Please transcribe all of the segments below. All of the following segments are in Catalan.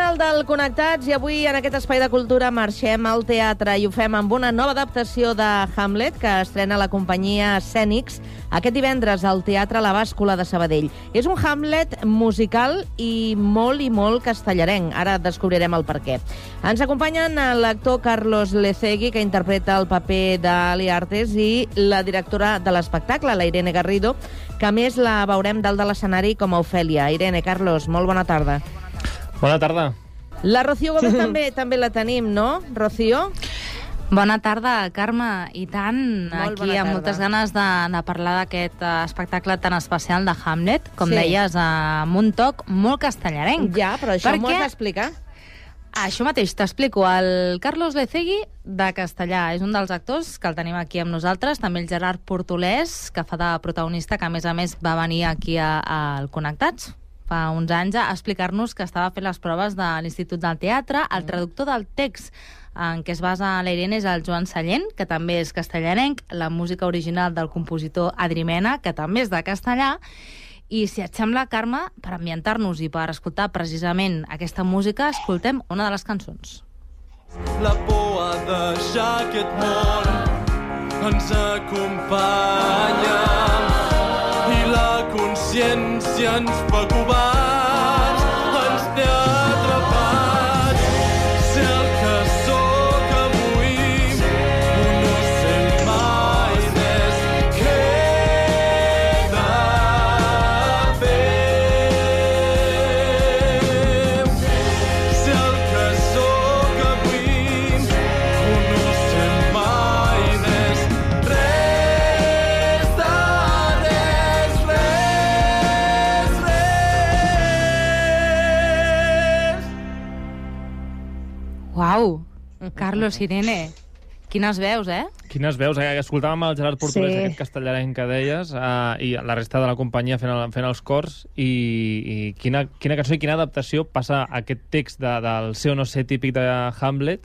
final del Connectats i avui en aquest espai de cultura marxem al teatre i ho fem amb una nova adaptació de Hamlet que estrena la companyia Cènics aquest divendres al Teatre La Bàscula de Sabadell. És un Hamlet musical i molt castellarenc. Ara descobrirem el per què. Ens acompanyen l'actor Carlos Lecegui, que interpreta el paper d'Ali Artes, i la directora de l'espectacle, la Irene Garrido, que a més la veurem dalt de l'escenari com a Ofèlia. Irene, Carlos, molt bona tarda. Bona tarda. La Rocío Gómez també la tenim, no, Rocío? Bona tarda, Carme, i tant. Molt aquí amb moltes ganes de parlar d'aquest espectacle tan especial de Hamlet, com deies, amb un toc molt castellarenc. Ja, però això m'ho has d'explicar. Això mateix, t'explico. El Carlos Lecegui, de castellà, és un dels actors que el tenim aquí amb nosaltres. També el Gerard Portolès, que fa de protagonista, que a més va venir aquí al Connectats fa uns anys a explicar-nos que estava fent les proves de l'Institut del Teatre. El traductor del text en què es basa la Irene és el Joan Sallent, que també és castellanenc, la música original del compositor Adri Mena, que també és de castellà. I si et sembla, Carme, per ambientar-nos i per escoltar precisament aquesta música, escoltem una de les cançons. La por a deixar aquest món ens acompanya i la consciència ens fa covards, ens té atrapats. Sé el que sóc avui, no sé mai més què he de fer. Sé el que sóc avui, no sé mai més res de res, res, res. Uau! Carlos, Irene, quines veus, eh? Quines veus? Escoltàvem el Gerard Portolès, aquest castellarenc que deies, i la resta de la companyia fent els cors, i quina cançó i quina adaptació passa aquest text del ser o no ser típic de Hamlet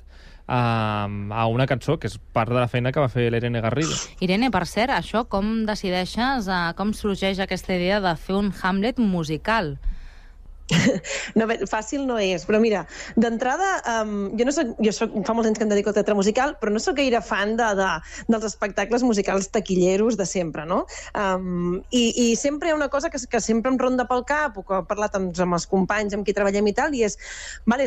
a una cançó que és part de la feina que va fer l'Irene Garrido. Irene, per cert, això com decideixes, com sorgeix aquesta idea de fer un Hamlet musical? No, fàcil no és, però mira, d'entrada, fa molts anys que em dedico al teatre musical, però no sóc gaire fan dels espectacles musicals taquilleros de sempre, no? I sempre hi ha una cosa que sempre em ronda pel cap, o que he parlat amb els companys amb qui treballem i tal, i és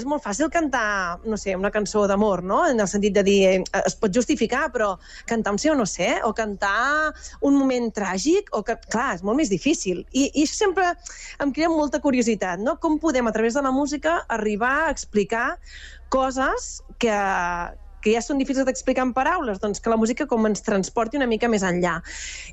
molt fàcil cantar, no sé, una cançó d'amor, no? En el sentit de dir, es pot justificar, però cantar un sí o no sé, o cantar un moment tràgic, o que, clar, és molt més difícil. I sempre em crea molta curiositat, no? Com podem, a través de la música, arribar a explicar coses que ja són difícils d'explicar en paraules, doncs que la música com ens transporti una mica més enllà.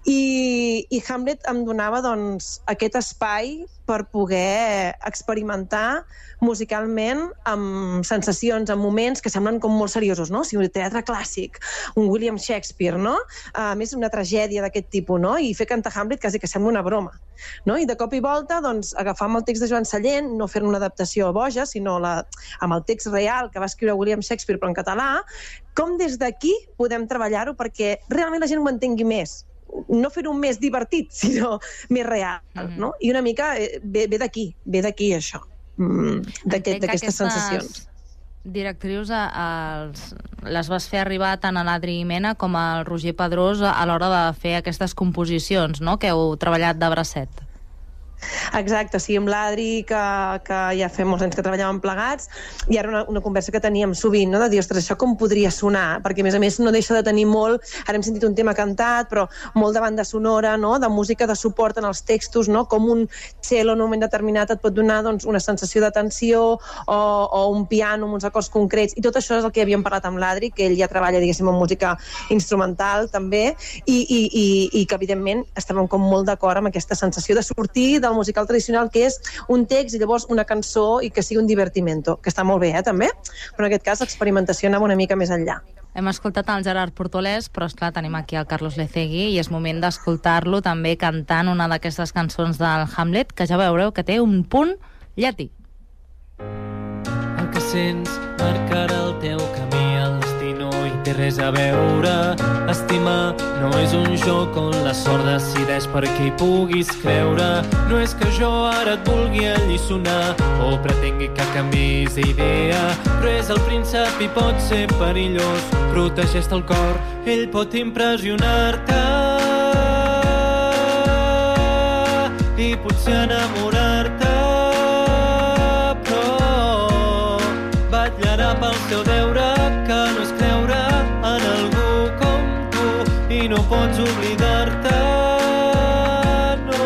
I Hamlet em donava doncs, aquest espai per poder experimentar musicalment amb sensacions, amb moments que semblen com molt seriosos, no? O sigui, un teatre clàssic, un William Shakespeare, no? A més, una tragèdia d'aquest tipus, no? I fer cantar Hamlet quasi que sembla una broma, no? I de cop i volta, doncs, agafar amb el text de Joan Sallent, no fer una adaptació boja, sinó amb el text real que va escriure William Shakespeare, però en català, com des d'aquí podem treballar-ho perquè realment la gent ho entengui més. No fer-ho més divertit, sinó més real, no? I una mica ve d'aquí això, d'aquestes sensacions. Directrius les vas fer arribar tant a l'Adri Mena com al Roger Pedrós a l'hora de fer aquestes composicions, no?, que heu treballat de bracet. Exacte, sí, amb l'Adri, que ja fa molts anys que treballàvem plegats, i ara una conversa que teníem sovint, no? De dir, ostres, això com podria sonar? Perquè, a més, no deixa de tenir molt, ara hem sentit un tema cantat, però molt de banda sonora, no? De música de suport en els textos, no? Com un cello en un moment determinat et pot donar doncs, una sensació de tensió, o un piano amb uns acords concrets, i tot això és el que havíem parlat amb l'Adri, que ell ja treballa, diguéssim, en música instrumental, també, i que, evidentment, estàvem com molt d'acord amb aquesta sensació de sortir del musical tradicional, que és un text i llavors una cançó i que sigui un divertimento, que està molt bé, també, però en aquest cas l'experimentació anava una mica més enllà. Hem escoltat el Gerard Portolès, però esclar, tenim aquí el Carlos Lecegui i és moment d'escoltar-lo també cantant una d'aquestes cançons del Hamlet, que ja veureu que té un punt llatí. El que sents marcarà el teu camí, el destí no hi té res a veure. Estimar no és un joc on la sort decideix per què hi puguis creure. No és que jo ara et vulgui alliçonar o pretengui que canvis d'idea, però és el príncep i pot ser perillós. Protegeix-te el cor, ell pot impressionar-te i potser enamorar-te, però vetllarà pel teu deure, que no és creure en algú com tu i no pots oblidar-te, no.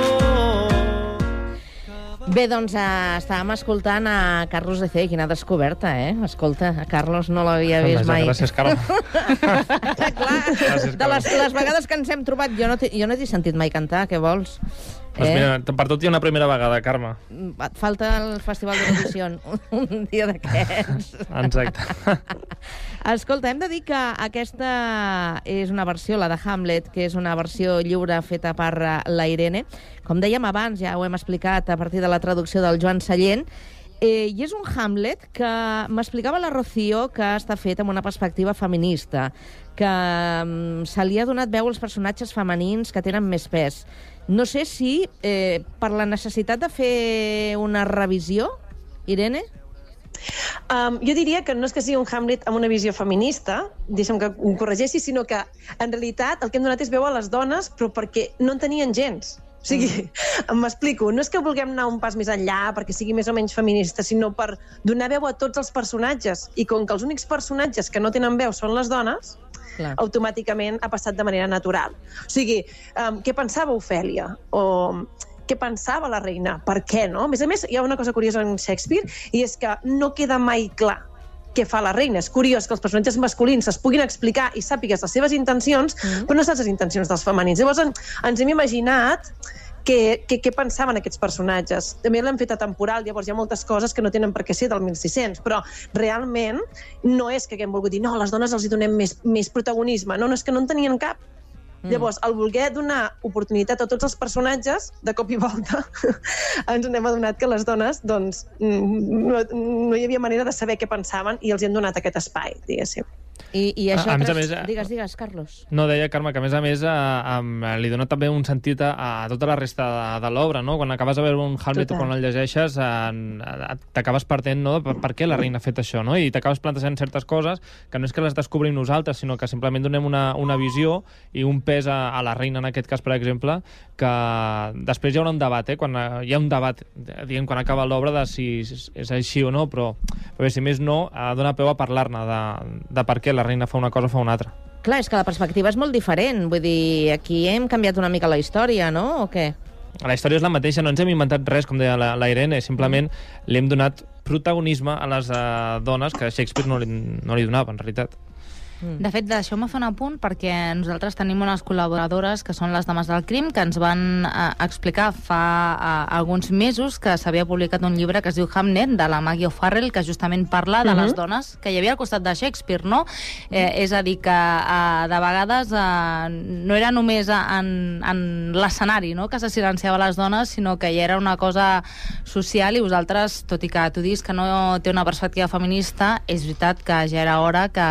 Bé, doncs estàvem escoltant a Carlos Lecé, quina descoberta, eh? Escolta, a Carlos no l'havia vist mai. Gràcies, Carme. Clar, de les vegades que ens hem trobat, jo no t'he sentit mai cantar, què vols? Doncs mira, per tot hi ha una primera vegada, Carme. Et falta el Festival d'Eurovisió un dia d'aquests. Exacte. Escolta, hem de dir que aquesta és una versió, la de Hamlet, que és una versió lliure feta per la Irene. Com dèiem abans, ja ho hem explicat a partir de la traducció del Joan Sallent, i és un Hamlet que m'explicava la Rocío que està fet amb una perspectiva feminista, que se li ha donat veu als personatges femenins que tenen més pes. No sé si per la necessitat de fer una revisió, Irene? Jo diria que no és que sigui un Hamlet amb una visió feminista, deixa'm que ho corregeixi, sinó que en realitat el que hem donat és veu a les dones, però perquè no en tenien gens. O sigui, m'explico, no és que vulguem anar un pas més enllà perquè sigui més o menys feminista, sinó per donar veu a tots els personatges. I com que els únics personatges que no tenen veu són les dones, clar, automàticament ha passat de manera natural. O sigui, què pensava Ofèlia? O què pensava la reina? Per què, no? A més, hi ha una cosa curiosa en Shakespeare, i és que no queda mai clar què fa la reina. És curiós que els personatges masculins es puguin explicar i sàpigues les seves intencions, però no saps les intencions dels femenins. Llavors ens hem imaginat què pensaven aquests personatges. També l'hem fet atemporal, llavors hi ha moltes coses que no tenen per què ser del 1600, però realment no és que haguem volgut dir no, a les dones els hi donem més protagonisme. No, és que no en tenien cap. Llavors, al voler donar oportunitat a tots els personatges, de cop i volta, ens n'hem adonat que les dones doncs, no hi havia manera de saber què pensaven i els hem donat aquest espai, diguéssim. I això... A més, Digues, Carlos. No, deia, Carme, que a més li dona també un sentit a tota la resta de l'obra, no? Quan acabes de veure un Hamlet o quan el llegeixes, t'acabes partint, no?, per què la reina ha fet això, no? I t'acabes plantejant certes coses que no és que les descobrim nosaltres, sinó que simplement donem una visió i un pes a la reina, en aquest cas, per exemple, que després hi haurà un debat, quan hi ha un debat, diguem, quan acaba l'obra, de si és així o no, però bé, si més no, dona peu a parlar-ne de per què la reina fa una cosa o fa una altra. Clar, és que la perspectiva és molt diferent. Vull dir, aquí hem canviat una mica la història, no? O què? La història és la mateixa, no ens hem inventat res, com deia la Irene, simplement li hem donat protagonisme a les dones que Shakespeare no li donava, en realitat. De fet, deixeu-me fer un apunt perquè nosaltres tenim unes col·laboradores que són les Dames del Crim que ens van explicar fa alguns mesos que s'havia publicat un llibre que es diu Hamlet, de la Maggie O'Farrell, que justament parla de les dones que hi havia al costat de Shakespeare, no? És a dir, que de vegades no era només en l'escenari, no?, que se silenciava les dones, sinó que ja era una cosa social, i vosaltres, tot i que tu dius que no té una perspectiva feminista, és veritat que ja era hora que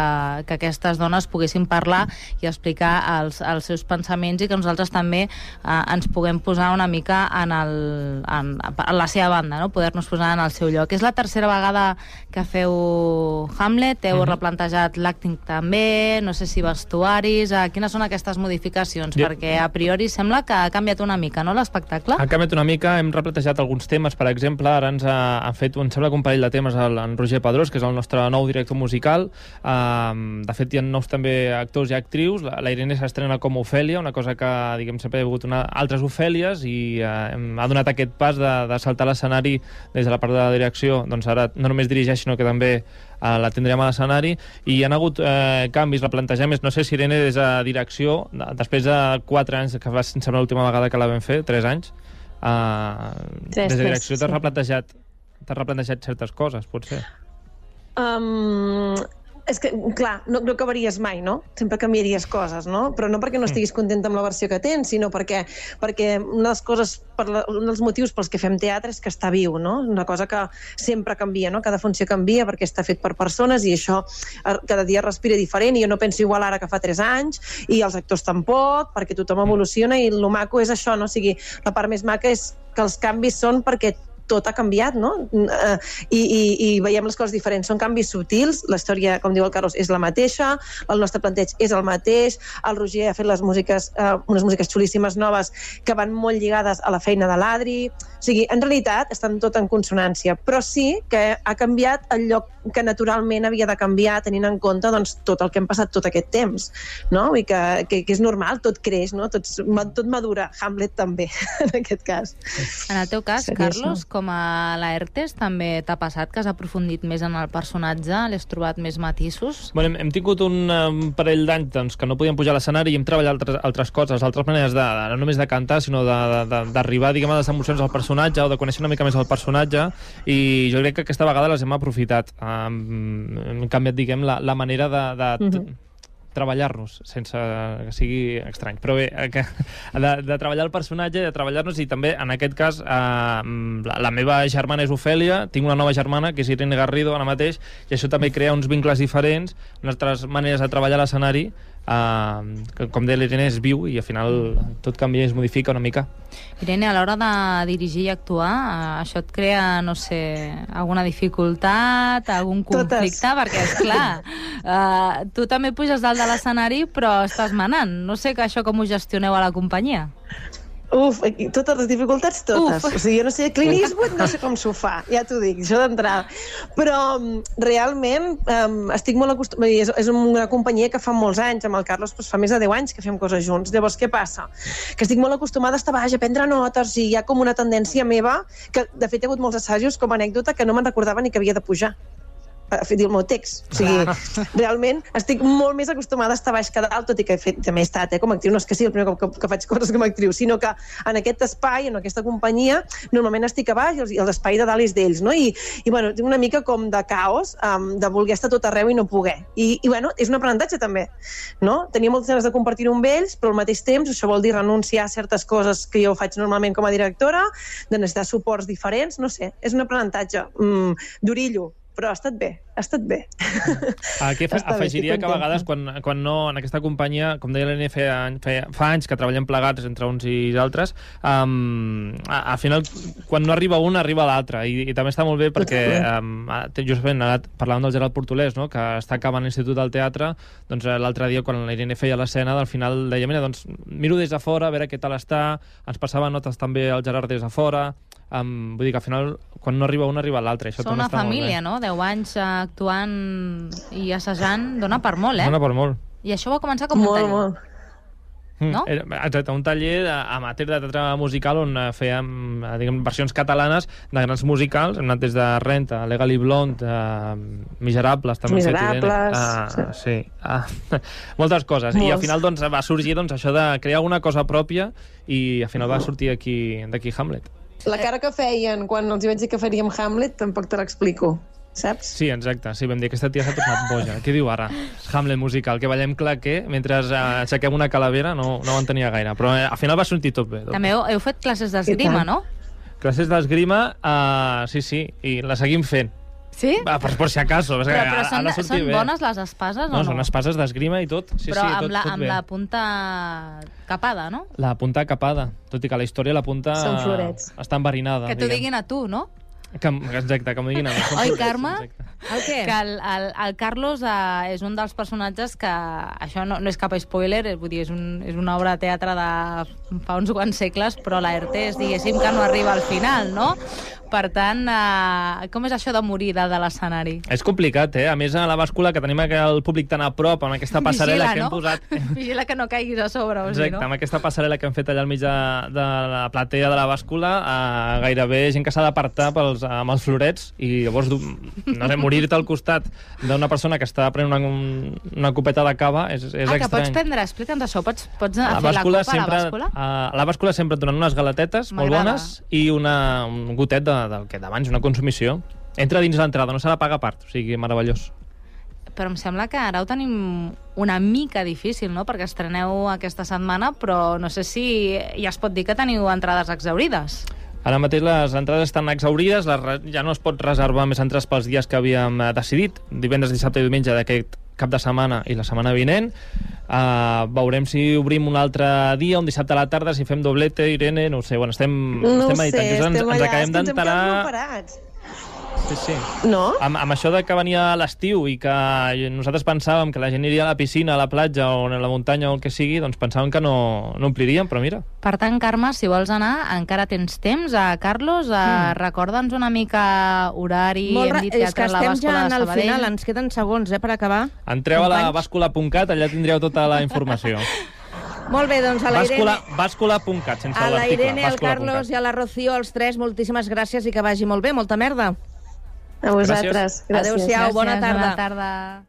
aquestes dones poguessin parlar i explicar els seus pensaments, i que nosaltres també ens puguem posar una mica en la seva banda, no?, poder-nos posar en el seu lloc. És la tercera vegada que feu Hamlet, heu replantejat l'acting també, no sé si vestuaris, quines són aquestes modificacions? Perquè a priori sembla que ha canviat una mica, no?, l'espectacle? Ha canviat una mica, hem replantejat alguns temes, per exemple, ara ens ha fet, em sembla que un parell de temes en Roger Pedrós, que és el nostre nou director musical. De fet, hi ha nous també actors i actrius. La Irene s'estrena com Ofèlia, una cosa que, diguem, sempre hi ha hagut altres Ofèlies, i ha donat aquest pas de saltar l'escenari des de la part de la direcció. Doncs ara no només dirigeix, sinó que també la tindrem a l'escenari, i hi ha hagut canvis, replantejaments. No sé si Irene, des de direcció, després de 4 anys, que va ser l'última vegada que la vam fer, 3 anys, des de direcció t'has replantejat certes coses, potser? És que, clar, no acabaries mai, no? Sempre canviaries coses, no? Però no perquè no estiguis contenta amb la versió que tens, sinó perquè una de les coses, un dels motius pels que fem teatre és que està viu, no? Una cosa que sempre canvia, no? Cada funció canvia perquè està fet per persones i això cada dia respira diferent i jo no penso igual ara que fa 3 anys i els actors tampoc, perquè tothom evoluciona i el maco és això, no? O sigui, la part més maca és que els canvis són perquè tot ha canviat, no? I veiem les coses diferents. Són canvis subtils, la història, com diu el Carlos, és la mateixa, el nostre planteig és el mateix, el Roger ha fet les músiques, unes músiques xulíssimes noves que van molt lligades a la feina de l'Adri. O sigui, en realitat estan tot en consonància, però sí que ha canviat el lloc que naturalment havia de canviar tenint en compte doncs, tot el que hem passat tot aquest temps, no? I que és normal, tot creix, no? Tot madura, Hamlet també, en aquest cas. En el teu cas, Carlos, com a Laertes, també t'ha passat que has aprofundit més en el personatge? L'has trobat més matisos? Bueno, hem tingut un parell d'anys doncs, que no podíem pujar a l'escenari i hem treballat altres coses, altres maneres no només de cantar, sinó d'arribar, diguem, a les emocions del personatge o de conèixer una mica més el personatge, i jo crec que aquesta vegada les hem aprofitat. Hem canviat, diguem, la manera de treballar-nos, sense que sigui estrany. Però bé, de treballar el personatge, de treballar-nos, i també, en aquest cas, la meva germana és Ofèlia, tinc una nova germana, que és Irene Garrido, ara mateix, i això també crea uns vincles diferents, unes altres maneres de treballar a l'escenari, que, com deia l'Irene, és viu i al final tot canvia i es modifica una mica. Irene, a l'hora de dirigir i actuar, això et crea, no sé, alguna dificultat, algun conflicte? Totes. Perquè, esclar, tu també puges dalt de l'escenari, però estàs manant. No sé que això com ho gestioneu a la companyia. Uf, totes les dificultats, totes. O sigui, jo no sé, Clint Eastwood no sé com s'ho fa, ja t'ho dic, això d'entrada. Però realment estic molt acostumada, és una companyia que fa molts anys, amb el Carlos fa més de 10 anys que fem coses junts. Llavors, què passa? Que estic molt acostumada a estar baix, a prendre notes, i hi ha com una tendència meva, que de fet he hagut molts assajos com a anècdota que no me'n recordava ni que havia de pujar a fer el meu text. O sigui, realment estic molt més acostumada a estar baix que dalt, tot i que també he estat, com a actriu. No és que sigui el primer cop que faig coses com a actriu, sinó que en aquest espai, en aquesta companyia, normalment estic a baix i l'espai de dalt és d'ells, no? I bueno, tinc una mica com de caos, de voler estar tot arreu i no poder. I bueno, és un aprenentatge també, no? Tenia moltes ganes de compartir-ho amb ells, però al mateix temps això vol dir renunciar a certes coses que jo faig normalment com a directora, de necessitar suports diferents, no sé, és un aprenentatge d'orillo, però ha estat bé, ha estat bé. Aquí afegiria que a vegades, quan no, en aquesta companyia, com deia l'Helena, fa anys que treballem plegats entre uns i altres, al final, quan no arriba un, arriba l'altre, i també està molt bé perquè, justament, parlàvem del Gerard Portolès, no?, que està acabant l'Institut del Teatre, doncs l'altre dia, quan l'Irene feia l'escena, al final deia, mira, doncs miro des de fora, a veure què tal està, ens passava notes també al Gerard des de fora. Vull dir que al final, quan no arriba un, arriba l'altre. Són una família, no? 10 anys actuant i assajant, dona per molt, Dona per molt. I això va començar com un taller. Molt. No? Exacte, un taller amateur de teatre musical on fèiem, diguem, versions catalanes de grans musicals. Hem anat des de Renta, Legally Blonde, Miserables, també. Miserables. Sí. Moltes coses. I al final doncs, va sorgir això de crear alguna cosa pròpia i al final va sortir d'aquí Hamlet. La cara que feien quan els vaig dir que faríem Hamlet tampoc te l'explico, saps? Sí, exacte. Sí, vam dir que aquesta tia s'ha tornat boja. Què diu ara? Hamlet musical, que ballem claqué mentre aixequem una calavera, no ho entenia gaire. Però al final va sortir tot bé. També heu fet classes d'esgrima, no? Classes d'esgrima, sí, i la seguim fent. Sí? Per si acaso. Però són bones les espases o no? No, són espases d'esgrima i tot. Sí, però sí, tot amb la punta capada, no? La punta capada. Tot i que la història la punta són florets. Està enverinada. Que t'ho diguin a tu, no? Exacte, que m'ho diguin a mi. Oi, Carme? El què? Que el Carlos és un dels personatges que... Això no és cap spoiler, vull dir, és una obra de teatre de fa uns quants segles, però Laertes, diguéssim, que no arriba al final, no? Per tant, com és això de morir de l'escenari? És complicat, A més, a la bàscula, que tenim el públic tan a prop, amb aquesta passarel·la que hem posat... Vigila que no caiguis a sobre, o sigui, no? Exacte, amb aquesta passarel·la que hem fet allà al mig de la platea de la bàscula, gairebé gent que s'ha d'apartar amb els florets, i llavors, no sé, morir-te al costat d'una persona que està prenent una copeta de cava és estrany. Que pots prendre, explica'ns això, pots fer la copa a la bàscula? A la bàscula sempre et donen unes galetetes molt bones i un gotet del que d'abans, una consumició. Entra dins l'entrada, no s'ha de pagar a part, o sigui, meravellós. però em sembla que ara ho tenim una mica difícil, no?, perquè estreneu aquesta setmana, però no sé si ja es pot dir que teniu entrades exhaurides. Ara mateix les entrades estan exhaurides, ja no es pot reservar més entrades pels dies que havíem decidit, divendres, dissabte i diumenge d'aquest cap de setmana i la setmana vinent. Veurem si obrim un altre dia, un dissabte a la tarda, si fem doblete, Irene, no ho sé, bueno, estem meditant. Ens acabem d'enterar... Sí. No? Amb això de que venia l'estiu i que nosaltres pensàvem que la gent iria a la piscina, a la platja o a la muntanya o el que sigui, doncs pensàvem que no ompliríem, però mira. Per tant, Carme, si vols anar, encara tens temps. Carlos, recorda'ns una mica horari. Hem dit és que estem ja al final, ens queden segons per acabar. Entreu a la bàscula.cat, allà tindreu tota la informació. Molt bé, doncs a la Irene... Bàscula.cat, sense l'article. A la Irene, al Carlos i a la Rocío, els tres, moltíssimes gràcies i que vagi molt bé. Molta merda. A vosaltres. Gràcies. Adéu-siau, bona tarda. Bona tarda.